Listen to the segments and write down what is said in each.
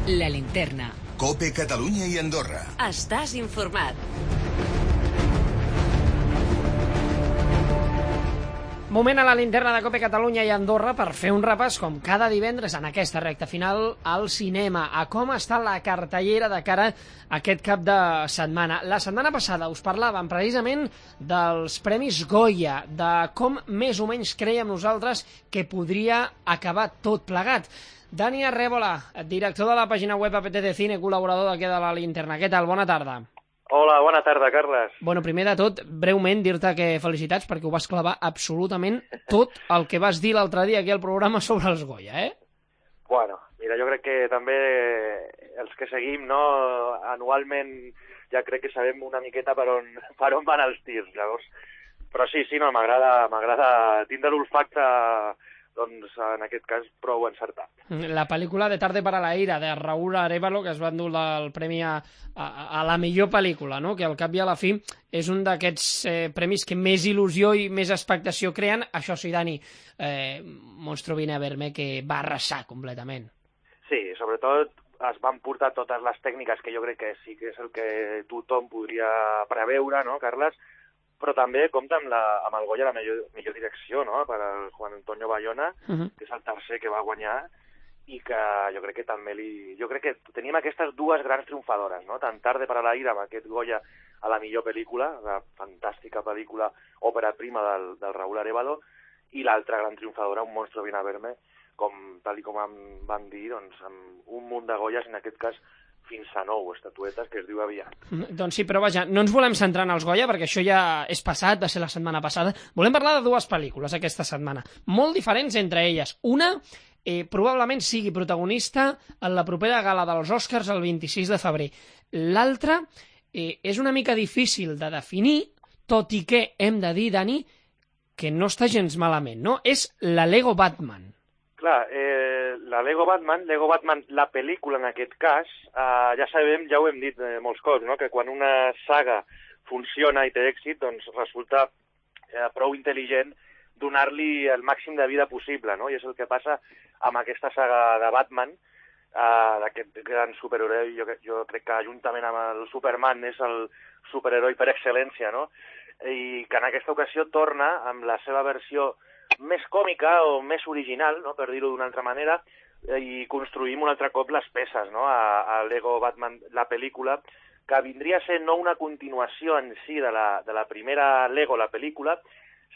La Linterna. COPE Catalunya i Andorra. Estàs informat. Moment a la Linterna de COPE Catalunya i Andorra per fer un repàs, com cada divendres en aquesta recta final, al cinema, a com està la cartellera de cara a aquest cap de setmana. La setmana passada us parlàvem precisament dels Premis Goya, de com més o menys creiem nosaltres que podria acabar tot plegat. Dani Arrébola, director de la pàgina web APTC Cine, col·laborador d'aquí de la Linterna. Què tal? Bona tarda. Hola, bona tarda, Carles. Bueno, primer de tot, breument, dir-te que felicitats perquè ho vas clavar absolutament tot el que vas dir l'altre dia aquí al programa sobre els Goya, eh? Bueno, mira, jo crec que també els que seguim, no, anualment ja crec que sabem una miqueta per on van els tirs, llavors. Però sí, no, m'agrada tindre l'olfacte, doncs en aquest cas prou encertat. La pel·lícula de Tarde para la ira, de Raúl Arévalo, que es va endur el premi a la millor pel·lícula, no? Que al cap i a la fi és un d'aquests premis que més il·lusió i més expectació creen. Això sí, Dani, Monstruo viene a verme, que va arrasar completament. Sí, sobretot es van portar totes les tècniques que jo crec que sí que és el que tothom podria preveure, no, Carles? Però també compta amb el Goya la millor direcció, no?, per al Juan Antonio Bayona, que és el tercer que va guanyar, i que jo crec que també Jo crec que tenim aquestes dues grans triomfadores, no?, tant Tarde para la ira, amb aquest Goya a la millor pel·lícula, la fantàstica pel·lícula òpera prima del Raúl Arévalo, i l'altra gran triomfadora, Un monstruo viene a verme, tal com em van dir, doncs, amb un munt de Goyas, en aquest cas fins a 9 estatuetes, que es diu aviat. Doncs sí, però vaja, no ens volem centrar en els Goya, perquè això ja és passat, va ser la setmana passada. Volem parlar de dues pel·lícules aquesta setmana, molt diferents entre elles. Una probablement sigui protagonista en la propera gala dels Oscars el 26 de febrer. L'altra és una mica difícil de definir, tot i que hem de dir, Dani, que no està gens malament, no? És la Lego Batman. Clar, la Lego Batman, la pel·lícula en aquest cas, ja sabem, ja ho hem dit molts cops, no?, que quan una saga funciona i té èxit, doncs resulta prou intel·ligent donar-li el màxim de vida possible, no? I és el que passa amb aquesta saga de Batman, d'aquest gran superheroi. Jo crec que juntament amb el Superman és el superheroi per excel·lència, no? I que en aquesta ocasió torna amb la seva versió més còmica o més original, no?, per dir-ho d'una altra manera, i construïm un altre cop les peces, no?, a Lego Batman, la pel·lícula, que vindria a ser no una continuació en si de la primera Lego, la pel·lícula,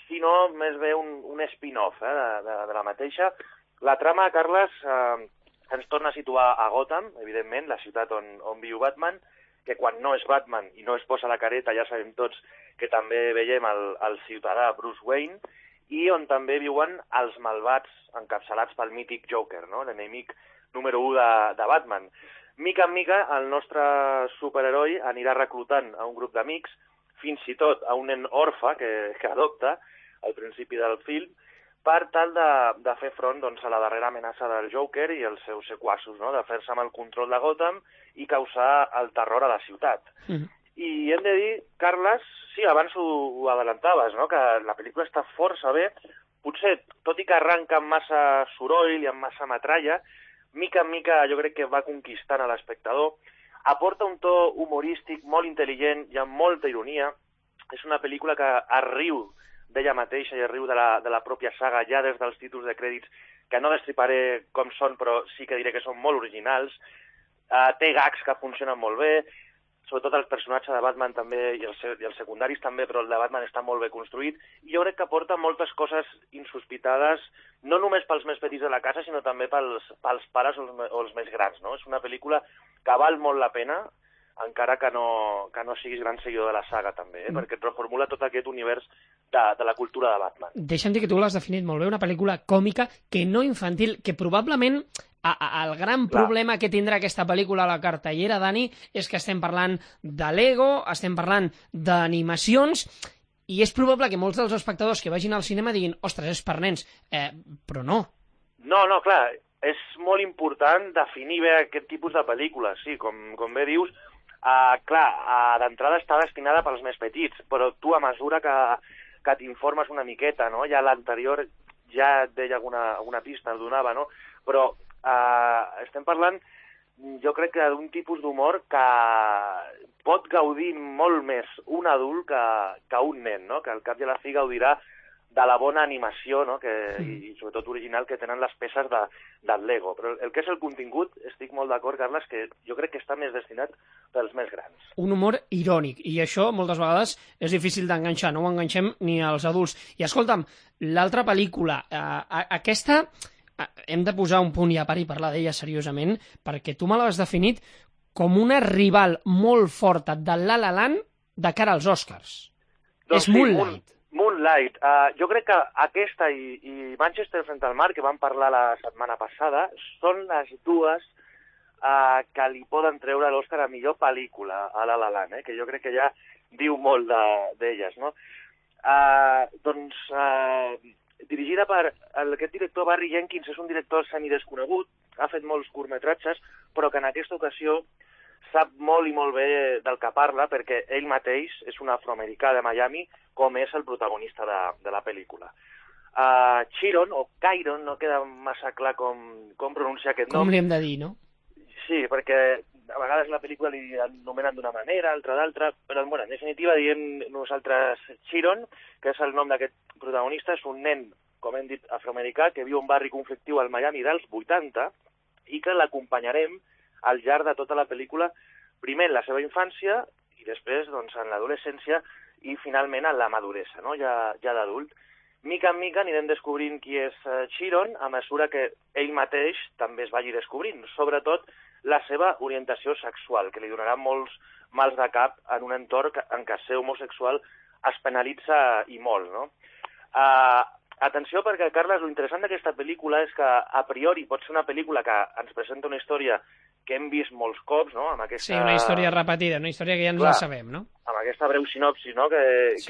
sinó més bé un spin-off de la mateixa. La trama, Carles, ens torna a situar a Gotham, evidentment, la ciutat on viu Batman, que quan no és Batman i no es posa la careta ja sabem tots que també veiem el ciutadà Bruce Wayne, i on també viuen els malvats encapçalats pel mític Joker, no?, l'enemic número 1 de Batman. Mica en mica, el nostre superheroi anirà reclutant a un grup d'amics, fins i tot a un nen orfe que adopta al principi del film, per tal de fer front, doncs, a la darrera amenaça del Joker i els seus sequassos, no?, de fer-se amb el control de Gotham i causar el terror a la ciutat. I hem de dir, Carles, sí, abans ho adelantaves, no?, que la pel·lícula està força bé, potser, tot i que arranca amb massa soroll i amb massa metralla, mica en mica jo crec que va conquistant a l'espectador, aporta un to humorístic molt intel·ligent i amb molta ironia. És una pel·lícula que es riu d'ella mateixa i es riu de la pròpia saga ja des dels títols de crèdits, que no destriparé com són, però sí que diré que són molt originals. Té gags que funcionen molt bé, sobretot el personatge de Batman també, i els secundaris també, però el de Batman està molt bé construït, i jo crec que aporta moltes coses insospitades, no només pels més petits de la casa, sinó també pels pares o els més grans, no? És una pel·lícula que val molt la pena, encara que no siguis gran seguidor de la saga, també, perquè et reformula tot aquest univers de la cultura de Batman. Deixa'm dir que tu l'has definit molt bé, una pel·lícula còmica, que no infantil, que probablement el gran problema que tindrà aquesta pel·lícula a la cartellera, Dani, és que estem parlant de Lego, estem parlant d'animacions, i és probable que molts dels espectadors que vagin al cinema diguin, ostres, és per nens, però no. No, clar, és molt important definir bé aquest tipus de pel·lícules, sí, com bé dius. Clar, d'entrada està destinada pels més petits, però tu a mesura que t'informes una miqueta, no?, ja l'anterior ja et deia alguna pista, el donava, no?, però estem parlant jo crec que d'un tipus d'humor que pot gaudir molt més un adult que un nen, no? Que al cap i a la fi gaudirà de la bona animació, no? I sobretot original que tenen les peces del Lego. Però el que és el contingut, estic molt d'acord, Carles, que jo crec que està més destinat pels més grans. Un humor irònic, i això moltes vegades és difícil d'enganxar, no ho enganxem ni als adults. I escolta'm, l'altra pel·lícula, aquesta hem de posar un punt i a part i parlar d'ella seriosament, perquè tu me l'has definit com una rival molt forta de La La Land de cara als Oscars. Doncs és Moonlight. Moonlight. Jo crec que aquesta i Manchester frente al mar, que vam parlar la setmana passada, són les dues que li poden treure l'Oscar a millor pel·lícula a La La Land, que jo crec que ja diu molt d'elles, no? Dirigida per aquest director Barry Jenkins, és un director semidesconegut, ha fet molts curtmetratges, però que en aquesta ocasió sap molt i molt bé del que parla, perquè ell mateix és un afroamericà de Miami, com és el protagonista de la pel·lícula. Chiron, o Chiron, no queda massa clar com pronunciar aquest nom. Com li hem de dir, no? Sí, perquè a vegades la pel·lícula li anomenen d'una manera, altra d'altra, però bueno, en definitiva diem nosaltres Chiron, que és el nom d'aquest protagonista, és un nen, com hem dit, afroamericà, que viu un barri conflictiu al Miami dels 80 i que l'acompanyarem al llarg de tota la pel·lícula, primer en la seva infància i després doncs, en l'adolescència i finalment en la maduresa, no? ja d'adult. Mica en mica anirem descobrint qui és Chiron a mesura que ell mateix també es vagi descobrint, sobretot la seva orientació sexual, que li donarà molts mals de cap en un entorn en què ser homosexual es penalitza i molt, no? Atenció, perquè, Carles, l'interessant d'aquesta pel·lícula és que, a priori, pot ser una pel·lícula que ens presenta una història que hem vist molts cops, no? Amb aquesta... Sí, una història repetida, una història que ja ens la sabem, no? Amb aquesta breu sinopsi, no?, que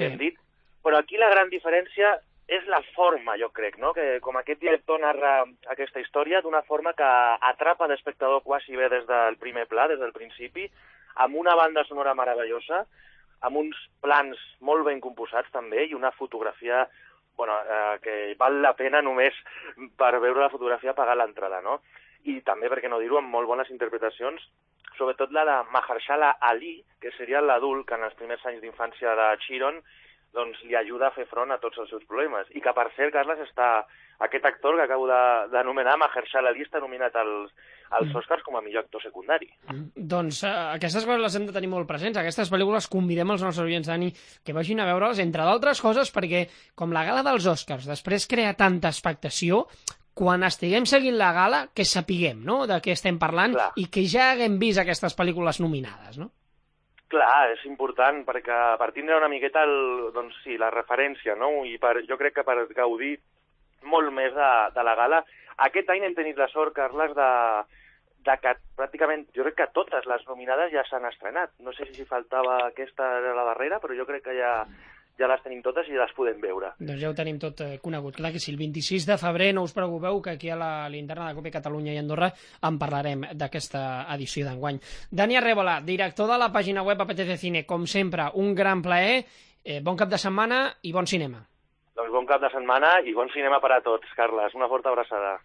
hem dit. Però aquí la gran diferència és la forma, jo crec, no? Que com aquest director narra aquesta història d'una forma que atrapa l'espectador quasi bé des del primer pla, des del principi, amb una banda sonora meravellosa, amb uns plans molt ben composats també i una fotografia que val la pena només per veure la fotografia pagar l'entrada, no? I també, per què no dir-ho, amb molt bones interpretacions, sobretot la de Mahershala Ali, que seria l'adult que en els primers anys d'infància de Chiron doncs, li ajuda a fer front a tots els seus problemes. I que, per cert, Carles, aquest actor que acabo d'anomenar, Mahershala Ali, està nominat als Oscars com a millor actor secundari. Doncs aquestes coses les hem de tenir molt presents. Aquestes pel·lícules convidem els nostres oients, Dani, que vagin a veure-les, entre d'altres coses, perquè, com la gala dels Oscars després crea tanta expectació, quan estiguem seguint la gala, que sapiguem, no?, de què estem parlant. Clar. I que ja haguem vist aquestes pel·lícules nominades, no? Clar, és important, perquè per tindre una miqueta la referència, no? I jo crec que per gaudir molt més de la gala. Aquest any hem tenit la sort, Carles, de que pràcticament, jo crec que totes les nominades ja s'han estrenat. No sé si faltava aquesta de la darrera, però jo crec que ja les tenim totes i les podem veure. Doncs ja ho tenim tot conegut. Clar que sí, el 26 de febrer, no us preocupeu, que aquí a la linterna de Cope Catalunya i Andorra en parlarem d'aquesta edició d'enguany. Dani Arrébola, director de la pàgina web APTC Cine, com sempre, un gran plaer, bon cap de setmana i bon cinema. Doncs bon cap de setmana i bon cinema per a tots, Carles. Una forta abraçada.